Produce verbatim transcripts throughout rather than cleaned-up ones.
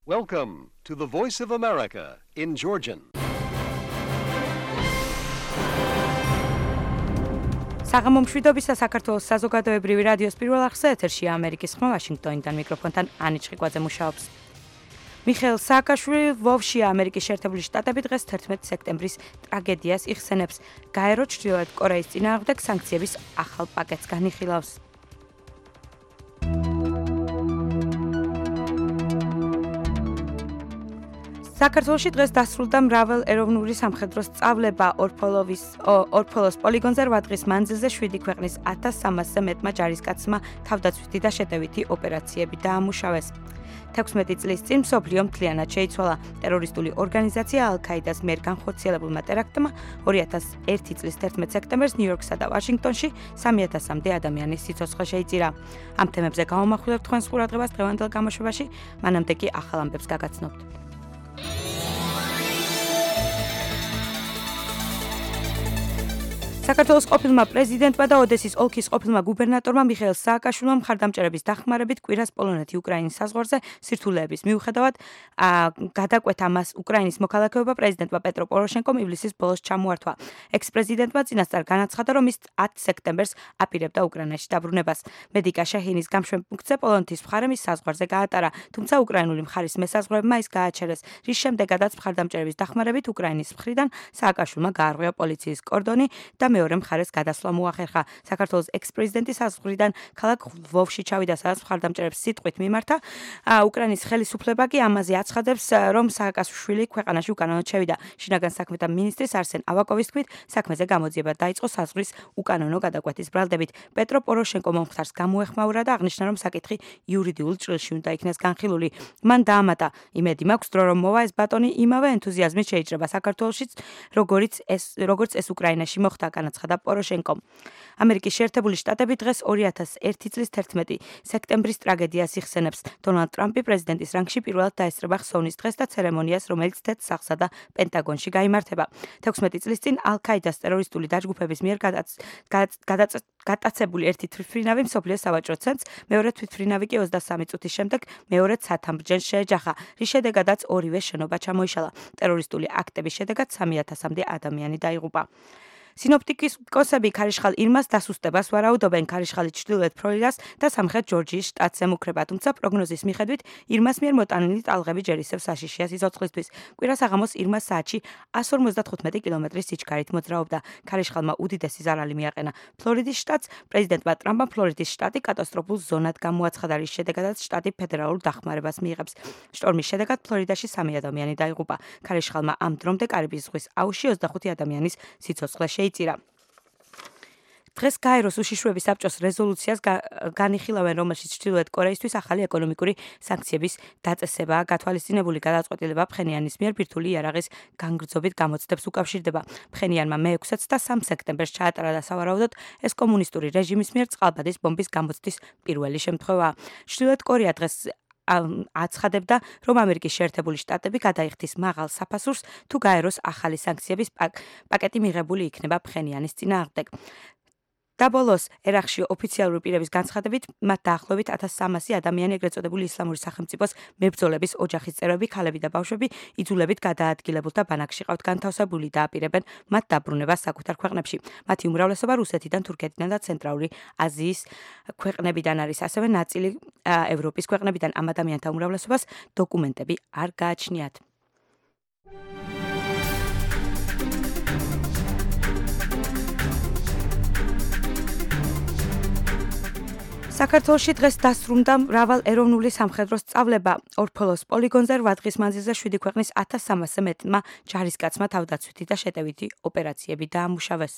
Welcome to the Voice of America in Georgian. საღამომშვიდობისა საქართველოს საზოგადოებრივი რადიოს პირველ არხზე ეთერშია ამერიკის ხმა ვაშინგტონიდან მიკროფონთან ანი ჩხიკვაძე მუშაობს. მიხეილ სააკაშვილი ვოვში ამერიკის შეერთებული შტატები დღეს თერთმეტი სექტემბრის ტრაგედიას იხსენებს. გაერო ჩრდილოეთ კორეის წინააღმდეგ სანქციების ახალ პაკეტს განიხილავს. საქართველოში დღეს დასრულდა მრავალ ეროვნული სამხედრო სწავლება ორფოლოვის ორფოლოს პოლიგონზე რვა დღის მანძილზე შვიდი ქვეყნის ათას სამასზე მეტმა ჯარისკაცმა თავდაცვითი და შეტევითი ოპერაციები დაამუშავეს. თექვსმეტი წლის წინ მსოფლიო მთლიანად შეიცვალა. ტერორისტული ორგანიზაცია ალ-ქაიდას მიერ განხორციელებულმა ტერაქტმა ორი ათას ერთი წლის თერთმეტ სექტემბერს ნიუ-იორკსა და ვაშინგტონში სამი ათასამდე ადამიანის სიცოცხლე შეიწირა. ამ თემებზე გავამახვილებთ თქვენს ყურადღებას დღევანდელ გამოშვებაში, მანამდე კი ახალ ამბებს გაგაცნობთ. საქართველოს ყოფილმა პრეზიდენტმა და ოდესის ოლქის ყოფილმა გუბერნატორმა მიხეილ სააკაშვილმა მხარდამჭერების დახმარებით კვირას პოლონეთი-უკრაინის საზღვარზე სირთულეების მიუხედავად გადაკვეთა მას უკრაინის მოქალაქეობა პრეზიდენტმა პეტრო პოროშენკომ ივლისის ბოლოს ჩამოართვა. ექს-პრეზიდენტმა წინასწარ განაცხადა, რომ ის ათი სექტემბერს აპირებდა უკრაინაში დაბრუნებას. მედიკა შეჰინის გამშვენპუნქტზე პოლონეთის მხარემ ის საზღვარზე გაატარა, თუმცა უკრაინული მხარის მესაზღვრეებმა ის გააჩერეს, რის შემდეგაც მხარდამჭერების დახმარებით უკრაინის მხრიდან სააკაშვილმა გაარღვია პოლიციის კორდონი და მეორე მხარეს გადასვლა მოახერხა. საქართველოს ექს-პრეზიდენტის საზღვრიდან ქალაქ ლვოვში ჩავიდა, სადაც მხარდამჭერებს სიტყვით მიმართა. უკრაინის ხელისუფლება კი ამაზე აცხადებს, რომ სააკაშვილი ქვეყანაში უკანონოდ შევიდა. შინაგან საქმეთა მინისტრის არსენ ავაკოვის თქმით, საქმეზე გამოძიება დაიწყო საზღვრის უკანონო გადაკვეთის ბრალდებით. პეტრო პოროშენკო მომხდარს გამოეხმაურა და აღნიშნა, რომ საკითხი იურიდიულ ჭრილში უნდა იქნეს განხილული. მან დაამატა, იმედი მაქვს, რომ მოვა ეს ბატონი იმავე ენთუზიაზმით შეიჭრება საქართველოშიც, როგორც ეს როგორც ეს უკრაინაში მოხდა. განაცხადა პოროშენკომ. ამერიკის შეერთებული შტატები დღეს ორი ათას ერთი წლის თერთმეტი სექტემბრის ტრაგედიას იხსენებს. დონალდ ტრამპი პრეზიდენტის რანგში პირველად დაესწრება ხსოვნის დღეს და ცერემონიას, რომელიც თეთრ-სახლსა და პენტაგონში გაიმართება. თექვსმეტი წლის წინ ალ-ქაიდას ტერორისტული დაჯგუფების მიერ გატაცებული ერთი თვითმფრინავი მსოფლიოს სავაჭრო ცენტრს, მეორე თვითმფრინავი კი ოცდასამი წუთის შემდეგ მეორედ სათამბჯენს შეეჯახა, რის შედეგადაც ორივე შენობა ჩამოიშალა. ტერორისტული აქტების შედეგად სამი ათასამდე ადამიანი დაიღუპა. სინოპტიკოსები ქარიშხალ ირმას დასუსტებას ვარაუდობენ. ქარიშხალი ჩრდილოეთ ფლორიდას და სამხრეთ ჯორჯიის შტატს ემუქრება, თუმცა პროგნოზის მიხედვით ირმას მიერ მოტანილი ტალღები ჯერისევს საშიშია სიცოცხლისთვის. კვირა საღამოს ირმა საათში εκατს ორმოცდათხუთმეტი კილომეტრის სიჩქარით მოძრაობდა. ქარიშხალმა უდიდესი ზარალი მიაყენა ფლორიდის შტატს. პრეზიდენტმა ტრამპმა ფლორიდის შტატი კატასტროფულ ზონად გამოაცხადა, რის შედეგადაც შტატი ფედერალურ დახმარებას მიიღებს. შტორმის შედეგად ფლორიდაში სამი ადამიანი დაიღუპა. ქარიშხალმა ამ დრომდე კარიბის ზღვის აუზში ოცდახუთი ადამიანის სიცოცხლე შეიწირა. დღეს გაეროს უშიშროების საბჭოს რეზოლუციას განიხილავენ, რომელშიც ჩრდილოეთ კორეისთვის ახალი ეკონომიკური სანქციების დაწესებაა გათვალისწინებული. გადაწყვეტილება ფხენიანის მიერ ბირთვული იარაღის განგრძობით გამოცდებს უკავშირდება. ფხენიანმა მეექვსე და სამი სექტემბერს ჩაატარა და სავარაუდოდ ეს კომუნისტური რეჟიმის მიერ წყალბადის ბომბის გამოცდის პირველი შემთხვევაა. ჩრდილოეთ კორეა დღეს აცხადებდა, რომ ამერიკის შეერთებული შტატები გადაიხდის მაღალ საფასურს, თუ გაეროს ახალი სანქციების პაკეტი მიღებული იქნება ფხენიანის წინააღმდეგ. და ბოლოს ერაყში ოფიციალური პირების განცხადებით, მათ დაახლოებით ათას სამასი ადამიანი, ეგრეთ წოდებული ისლამური სახელმწიფოს მებრძოლების ოჯახის წევრები, ქალები და ბავშვები იძულებით გადაადგილებულთა ბანაკში ყავთ განთავსებული და აპირებენ მათ დაბრუნებას საკუთარ ქვეყნებში. მათი უმრავლესობა რუსეთიდან, თურქეთიდან და ცენტრალური აზიის ქვეყნებიდან არის, ასევე ნაწილი ევროპის ქვეყნებიდან. ამ ადამიანთა უმრავლესობას დოკუმენტები არ გააჩნიათ. საქართველოში დღეს დასრულდა მრავალ ეროვნული სამხედრო სწავლება. ორფოლოს პოლიგონზე რვა დღის მანძილზე შვიდი ქვეყნის ათას სამასზე მეტმა ჯარისკაცმა თავდაცვითი და შეტევითი ოპერაციები დაამუშავეს.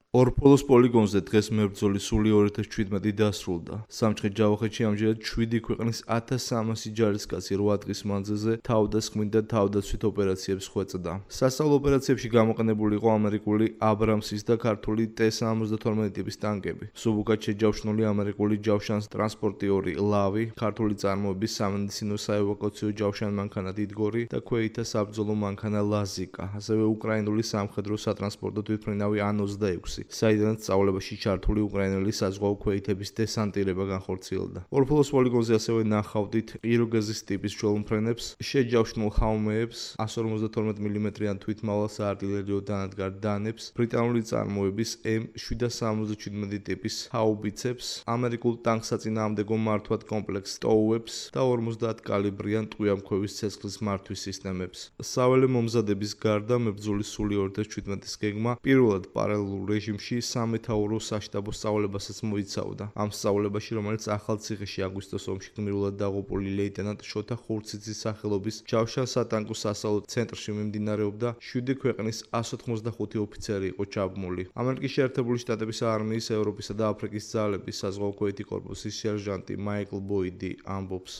ორფოლოს პოლიგონზე დღეს მებრძოლი სული ორი ათას შვიდმეტი დასრულდა. სამცხე-ჯავახეთში ამჯერად შვიდი ქვეყნის ათას სამასი ჯარისკაცი რვა დღის მანძილზე თავდასხმით და თავდაცვით ოპერაციებს ხვეწდა. სასწავლო ოპერაციებში გამოყენებული იყო ამერიკული აბრამსის და ქართული ტე სამოცდათორმეტი ტიპის ტანკები. სუბუქად შეჯავშნული ამერიკული ჯავშანს ტრანსპორტიორი ლავი, ქართული წარმოების სამედიცინო საევაკუაციო ჯავშან მანქანა დიდგორი და ქვეითთა საბრძოლო მანქანა ლაზიკა, ასევე უკრაინული სამხედრო სატრანსპორტო თვითმფრინავი ან ოცდაექვსი. კამპუსი, საიდანაც სწავლებაში ჩართული უკრაინელი საზღვაო ქვეითების დესანტირება განხორციელდა. ორფლოს პოლიგონზე ასევე ნახავდით ყიროგეზის ტიპის ჯოლმფრენებს, შეჯავშნულ ჰაუმეებს, εκατს ორმოცდათორმეტ მილიმეტრიან თვითმავალ საარტილერიო დანადგარ დანებს, ბრიტანული წარმოების ემ შვიდსათ სამოცდაჩვიდმეტი ტიპის ჰაუბიცებს, ამერიკულ ტანკსაწინააღმდეგო მართვად კომპლექს ტოუებს და ორმოცდაათ კალიბრიან ტყვიამქვევის ცეცხლის მართვის სისტემებს. საველე მომზადების გარდა მებრძოლის სული ორი ათას შვიდმეტის გეგმა პირველად პარალელურ რეჟიმში სამეთაურო საშტაბო სწავლებასაც მოიცავდა. ამ სწავლებაში, რომელიც ახალციხეში აგვისტოს ომში გმირულად დაღუპული ლეიტენანტ შოთა ხურციძის სახელობის ჯავშან სატანკო სასწავლო ცენტრში მიმდინარეობდა, შვიდი ქვეყნის εκατს ოთხმოცდახუთი ოფიცერი იყო ჩაბმული. ამერიკის შეერთებული შტატების არმიის, ევროპისა და აფრიკის ძალების საზღვაო ქვეითი კორპუსის სერჟანტი მაიკლ ბოიდი ამბობს.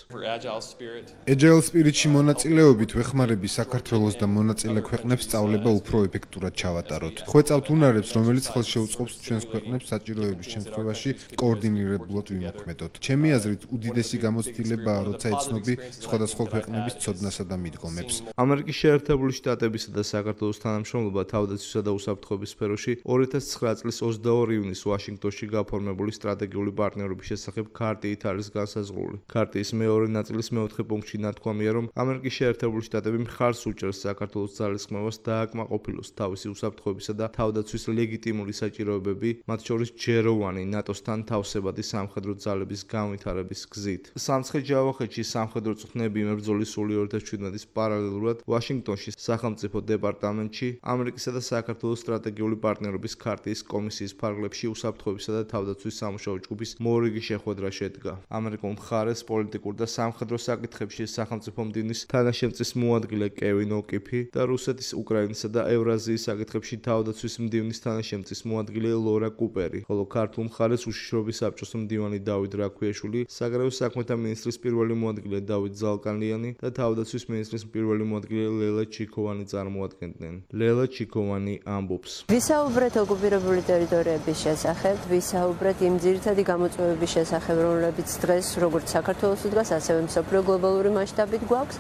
Agile Spirit-ში მონაწილეობით ვეხმარები საქართველოს და მონაწილე ქვეყნებს სწავლება უფრო ეფექტურად ჩავატაროთ. ხვეწავთ უნარებს, რომელიც ხელს შეუწყობს ჩვენს ქვეყნებს საჭიროების შემთხვევაში კოორდინირებულად ვიმოქმედოთ. ჩემი აზრით, უდიდესი გამოცდილებაა, როცა ეცნობი სხვადასხვა ქვეყნების ცოდნასა და მიდგომებს. ამერიკის შეერთებული შტატებისა და საქართველოს თანამშრომლობა თავდაცვისა და უსაფრთხოების სფეროში ორი ათას ცხრა წლის ოცდაორი ივნისს ვაშინგტონში გაფორმებული სტრატეგიული პარტნიორობის შესახებ ქარტიით არის განსაზღვრული. ქარტიის მეორე ნაწილის მეოთხე პუნქტში ნათქვამია, რომ ამერიკის შეერთებული შტატები მხარს უჭერს საქართველოს ძალისხმევას დააკმაყოფილოს თავისი უსაფრთხოებისა და თავდაცვის ლეგიტიმური საჭიროებები, მათ შორის ჯეროვანი ნატოსთან თავსებადი სამხედრო ძალების განვითარების გზით. სამცხე-ჯავახეთში სამხედრო წვნები მებრძოლის სული ორი ათას შვიდმეტის პარალელურად ვაშინგტონში სახელმწიფო დეპარტამენტში ამერიკისა და საქართველოს სტრატეგიული პარტნიორობის ქარტიის კომისიის ფარგლებში უსაფრთხოებისა და თავდაცვის სამუშაო ჯგუფის მორიგი შეხვედრა შედგა. ამერიკულ მხარეს პოლიტიკურ და სამხედრო საკითხებში სახელმწიფო მდივნის თანაშემწის მოადგილე კევინ ოკიფი და რუსეთის, უკრაინისა და ევრაზიის საკითხებში თავდაცვის მდივნის თანაშემწის მოადგილე ლორა კუპერი, ხოლო ქართულ მხარეს უშიშროების საბჭოს მდივანი დავით რაქვიაშვილი, საგარეო საქმეთა მინისტრის პირველი მოადგილე დავით ზალკანიანი და თავდაცვის მინისტრის პირველი მოადგილე ლელა ჩიქოვანი წარმოადგენდნენ. ლელა ჩიქოვანი ამბობს. ვისაუბრეთ ოკუპირებული ტერიტორიების შესახებ, ვისაუბრეთ იმ ძირითადი გამოწვევების შესახებ, რომლებიც დღეს როგორც საქართველოს უდრას, ასევე მსოფლიო გლობალური მასშტაბით გვაქვს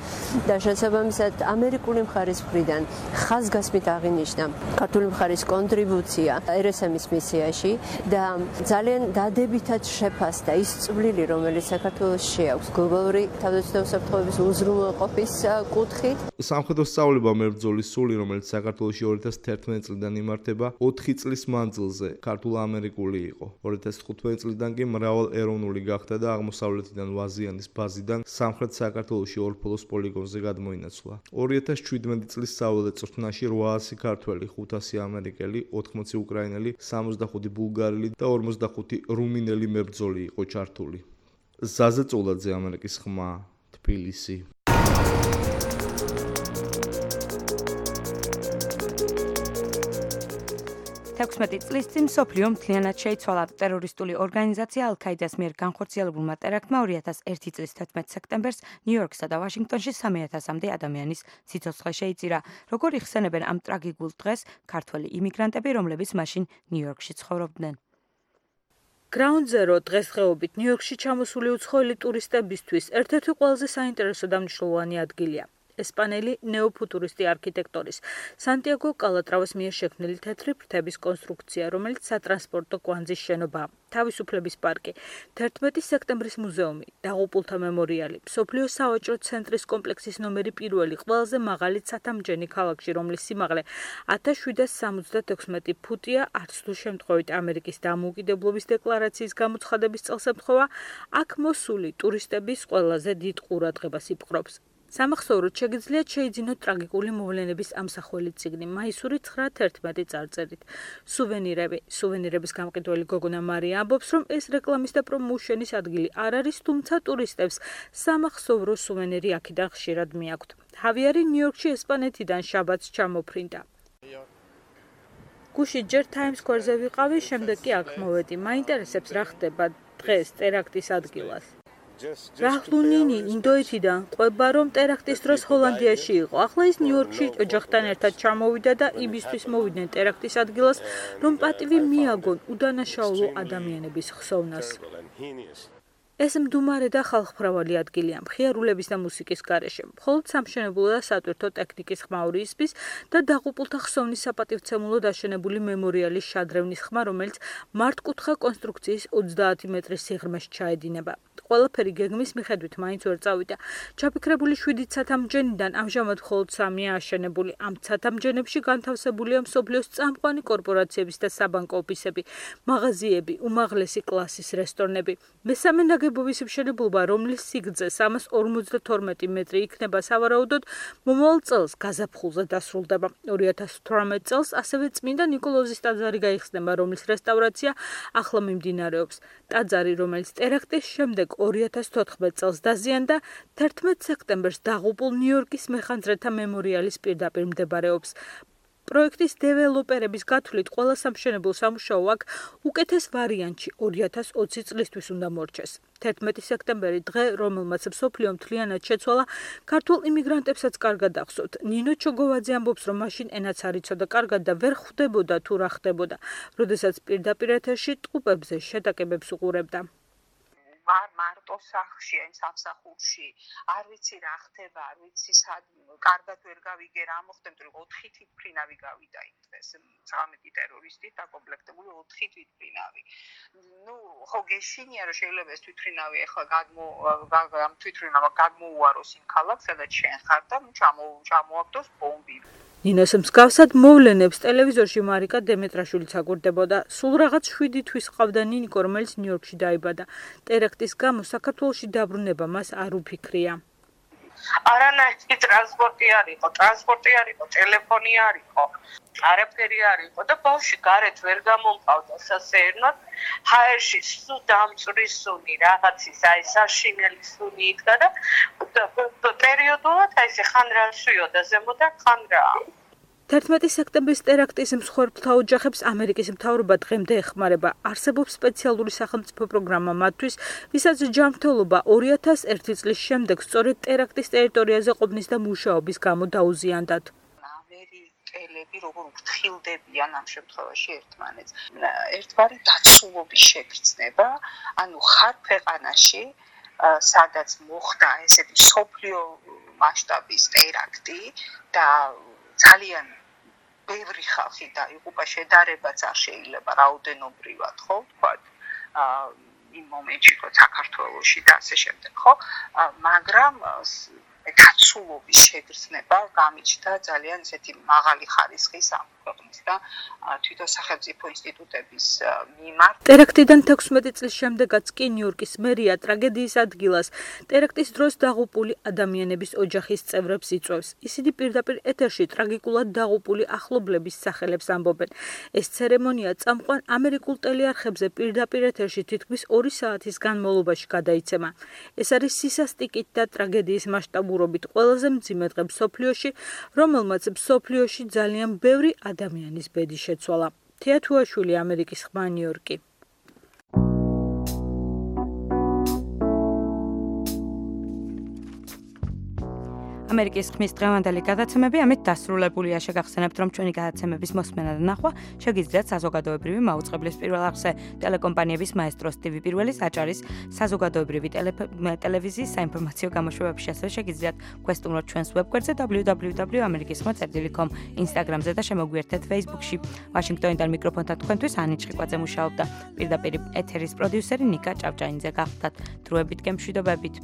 და შესაბამისად ამერიკული მხარის მხრიდან ხაზგასმით აღინიშნა ქართული მხარის კონტრიბუცია ერ ეს ემ-ის მისიაში და ძალიან დადებითად შეფასდა ის წვლილი, რომელიც საქართველოში აქვს გლობალური თავდაცვის და უსაფრთხოების უზრუნველყოფის კუთხით. სამხედრო სწავლება მებრძოლის სული, რომელიც საქართველოში ორი ათას თერთმეტი წლიდან იმართება, ოთხი წლის მანძილზე ქართულ-ამერიკული იყო. ორი ათას თხუთმეტი წლიდან კი მრავალეროვნული გახდა და აღმოსავლეთიდან ვაზიანის ბაზიდან სამხრეთ საქართველოში ორფლოს პოლიგონზე გადმოინაცვლა. ორი ათას შვიდმეტი წლის საველე წრთნაში რვაასი ქართველი, ხუთასი ამერიკელი, ოთხმოცი უკრაინელი, სამოცდახუთი ბულგარელი და ორმოცდახუთი რუმინელი მებრძოლი იყო ჩართული. ზაზა წულაძე, ამერიკის ხმა, თბილისი. თექვსმეტი წლის წინ მსოფლიო მთლიანად შეიცვალა. ტერორისტული ორგანიზაცია ალ-ქაიდას მიერ განხორციელებულმა ტერაქტმა ორი ათას ერთი წლის თერთმეტ სექტემბერს ნიუ-იორკსა და ვაშინგტონში სამი ათასამდე ადამიანის სიცოცხლე შეიწირა. როგორ იხსენებენ ამ ტრაგიკულ დღეს ქართველი იმიგრანტები, რომლებიც მაშინ ნიუ-იორკში ცხოვრობდნენ? Ground Zero დღესდღეობით ნიუ-იორკში ჩამოსული უცხოელი ტურისტებისთვის ერთ-ერთი ყველაზე საინტერესო და მნიშვნელოვანი ადგილია. ესპანელი ნეოფუტურისტი არქიტექტორის სანტიაგო კალატრავას მიერ შექმნილი თეთრი ფრთების კონსტრუქცია, რომელიც სატრანსპორტო კვანძის შენობაა. თავისუფლების პარკი, თერთმეტი სექტემბრის მუზეუმი, დაღუპულთა მემორიალი, მსოფლიო სავაჭრო ცენტრის კომპლექსის ნომერი პირველი, ყველაზე მაღალი ცათამბჯენი ქალაქში, რომლის სიმაღლე ათას შვიდსათ სამოცდათექვსმეტი ფუტია, არც თუ შემთხვევით ამერიკის დამოუკიდებლობის დეკლარაციის გამოცხადების წელს ემთხვევა, აქ მოსული ტურისტების ყველაზე დიდ ყურადღებას იპყრობს. სამახსოვროდ შეგიძლიათ შეიძინოთ ტრაგიკული მოვლენების ამსახველი წიგნი მაისური ცხრა თერთმეტი წარწერით. სუვენირები, სუვენირების გამყიდველი გოგონა მარია ამბობს, რომ ეს რეკლამის და პრომოუშენის ადგილი არ არის, თუმცა ტურისტებს სამახსოვრო სუვენირი აქედან ხშირად მიაქვთ. ჰავიარი ნიუ-იორკში ესპანეთიდან შაბათს ჩამოფრინდა. გუშინ ჯერ ტაიმს სკვერზე ვიყავი, შემდეგ კი აქ მოვედი. მაინტერესებს რა ხდება დღეს ტერაქტის ადგილას. Rahlunini ინდოეთიდან ყვება, რომ ტერაქტის დროს ჰოლანდიაში იყო. ახლა ის ნიუ-იორკში ოჯახთან ერთად ჩამოვიდა და იმისთვის მოვიდნენ ტერაქტის ადგილას, რომ პატივი მიაგონ უდანაშაულო ადამიანების ხსოვნას. ეს მდუმარე და ხალხმრავალი ადგილია მხიარულების და მუსიკის გარეშე. მხოლოდ სამშენებლო და სატვირთო ტექნიკის ხმაური ისმის და დაღუპულთა ხსოვნის საპატივცემულოდ აშენებული მემორიალის შადრევნის ხმა, რომელიც მართკუთხა კონსტრუქციის ოცდაათი მეტრის სიღრმეში ჩაედინება. ყველაფერი გეგმის მიხედვით მაინც ვერ წავიდა. ჩაფიქრებული შვიდი ცათამბჯენიდან ამჟამად მხოლოდ სამია აშენებული. ამ ცათამბჯენებში განთავსებულია მსოფლიოს წამყვანი კორპორაციების და საბანკო ოფისები, მაღაზიები, უმაღლესი კლასის რესტორნები. მესამე ნაგებობის მშენებლობა, რომლის სიგრძე სამას ორმოცდათორმეტი მეტრი იქნება, სავარაუდოდ მომავალ წელს გაზაფხულზე დასრულდება. ორი ათას თვრამეტ წელს ასევე წმინდა ნიკოლოზის ტაძარი გაიხსნება, რომლის რესტავრაცია ახლა მიმდინარეობს. ტაძარი, რომელიც ტერაქტის შემდეგ ორი ათას თოთხმეტ წელს დაზიანდა, თერთმეტ სექტემბერს დაღუპულ ნიუ-იორკის მეხანძრეთა მემორიალის პირდაპირ მდებარეობს. პროექტის დეველოპერების გათვლით, ყველა სამშენებლო სამუშაო აქ უკეთეს ვარიანტში ორი ათას ოცი წლისთვის უნდა მორჩეს. თერთმეტი სექტემბერი დღე, რომელმაც მსოფლიო მთლიანად შეცვალა, ქართულ იმიგრანტებსაც კარგად ახსოვთ. ნინო ჩოგოვაძე ამბობს, რომ მაშინ ენაც არ იცოდა კარგად და ვერ ხვდებოდა თუ რა ხდებოდა, როდესაც პირდაპირ ეთერში ტყუპებზე შეტაკებებს უყურებდა. ვარ მარტო სახლში, ან სამსახურში, არ ვიცი რა ხდება, არ ვიცი სად კარგად ვერ გავიგე რა მოხდა, რომ ოთხი თვითმფრინავი გავიდა იმ დღეს, ცხრამეტი ტერორისტით დაკომპლექტებული ოთხი თვითმფრინავი. ნუ ხო გეშინია რომ შეიძლება ეს თვითმფრინავი ახლა გადმო ამ თვითმფრინავმა გადმოუაროს იმ ქალაქს, სადაც შენ ხარ და ჩამო ჩამოაგდოს ბომბი. ნინოს მსგავსად მოვლენებს ტელევიზორში მარიკა დემეტრაშვილიც აკვირდებოდა. სულ რაღაც შვიდი თვის ყავდა ნინიკო, რომელიც ნიუ-იორკში დაიბადა. ტერაქტის გამო საქართველოში დაბრუნება მას არ უფიქრია. არანაირი ტრანსპორტი არ იყო, ტრანსპორტი არ იყო, ტელეფონი არ იყო, არაფერი არ იყო და ბავშვი გარეთ ვერ გამომყავდა სასეირნოდ. ჰაერში სუ დამწვრის სუნი, რაღაცის აი საშინელი სუნი იდგა და პერიოდულად აი ესე ხან რა სვიოდა ზემოდან, ხან რა. თერთმეტი სექტემბრის ტერაქტის მსხვერპლთა ოჯახებს ამერიკის მთავრობა დღემდე ეხმარება. არსებობს სპეციალური სახელმწიფო პროგრამა მათთვის, ვისაც ჯანმრთელობა ორი ათას ერთი წლის შემდეგ სწორედ ტერაქტის ტერიტორიაზე ყოფნის და მუშაობის გამო დაუზიანდათ. ამერიკელები როგორ უფრთხილდებიან ამ შემთხვევაში ერთმანეთს. ერთგვარი დაცულობის შეგრძნება, ანუ ხარ ქვეყანაში, სადაც მოხდა ესეთი სოფლიო მასშტაბის ტერაქტი და ძალიან ბევრი ხალხი დაიღუპა, შედარებაც არ შეიძლება რაოდენობრივად, ხო, ვთქვათ, იმ მომენტში, რომ საქართველოში და ასე შემდეგ, ხო, მაგრამ დაცულობის შეგრძნება გამიჩნდა ძალიან ესეთი მაღალი ხარისხის ამ ქვეყნის და თვითონ სახელმწიფო ინსტიტუტების მიმართ. ტერაქტიდან თექვსმეტი წლის შემდეგაც კი ნიუ-იორკის მერია ტრაგედიის ადგილას ტერაქტის დროს დაღუპული ადამიანების ოჯახის წევრებს იწვევს. ისინი პირდაპირ ეთერში ტრაგიკულად დაღუპული ახლობლების სახელებს ამბობენ. ეს ცერემონია წამყვან ამერიკულ ტელეარხებზე პირდაპირ ეთერში თითქმის ორი საათის განმავლობაში გადაიცემა. ეს არის სისასტიკით და ტრაგედიის მასშტაბურობით ყველაზე მძიმე დღე მსოფლიოში, რომელმაც მსოფლიოში ძალიან ბევრი ადამიანის ბედი შეცვალა. თეა თუაშვილი, ამერიკის ხმა, ნიუ-იორკი. ამერიკის ხმის დღევანდელი გადაცემები ამით დასრულებულია. შეგახსენებთ, რომ ჩვენი გადაცემების მოსმენა და ნახვა შეგიძლიათ საზოგადოებრივი მაუწყებლის პირველ არხზე, ტელეკომპანიების მაესტროს ტივი პირველის აჭარის საზოგადოებრივი ტელევიზიის საინფორმაციო გამოშვებებში, ასევე შეგიძლიათ გვესტუმროთ ჩვენს ვებგვერდზე დაბლიუ დაბლიუ დაბლიუ ამერიკის ხმა წერტილი კომ, ინსტაგრამზე და შემოგვიერთეთ ფეისბუქში. ვაშინგტონიდან მიკროფონთან თქვენთვის ანი ჭყიკვაძე მუშაობდა. პირდაპირ ეთერის პროდიუსერი ნიკა ჭავჭაინძე გახდათ. დროებით გემშვიდობებით.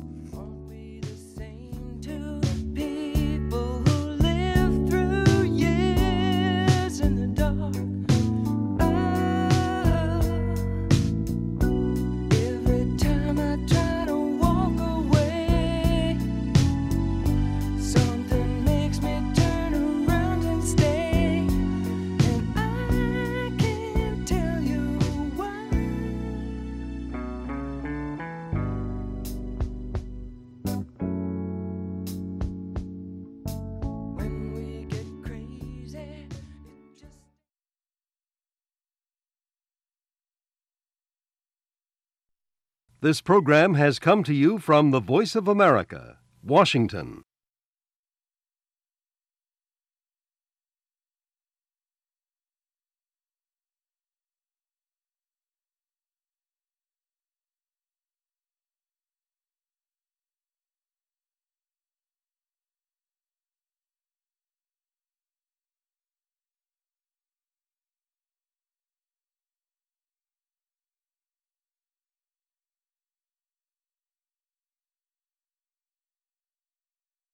This program has come to you from the Voice of America, Washington.